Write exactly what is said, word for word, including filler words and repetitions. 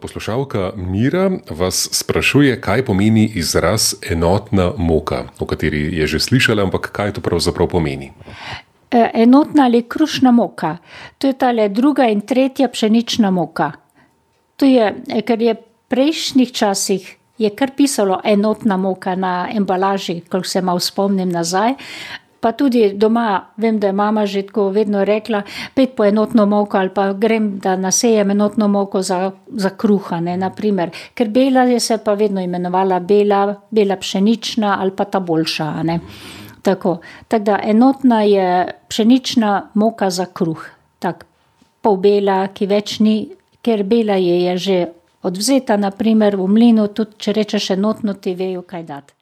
Poslušalka Mira vas sprašuje, kaj pomeni izraz enotna moka, o kateri je že slišala, ampak kaj to pravzaprav pomeni? Enotna ali krušna moka. To je tale druga in tretja pšenična moka. To je, ker je v prejšnjih časih je kar pisalo enotna moka na embalaži, koliko se malo spomnim nazaj. Pa tudi doma, vem, da je mama že tako vedno rekla, pojdi po enotno moko ali pa grem, da nasejem enotno moko za, za kruha, ne, na primer. Ker bela je se pa vedno imenovala bela, bela pšenična ali pa ta boljša, ne. Tako. Tako da enotna je pšenična moka za kruh. Tak, pol bela, ki več ni, ker bela je, je že odvzeta, na primer v mlinu, tudi če rečeš enotno, ti vejo, kaj dati.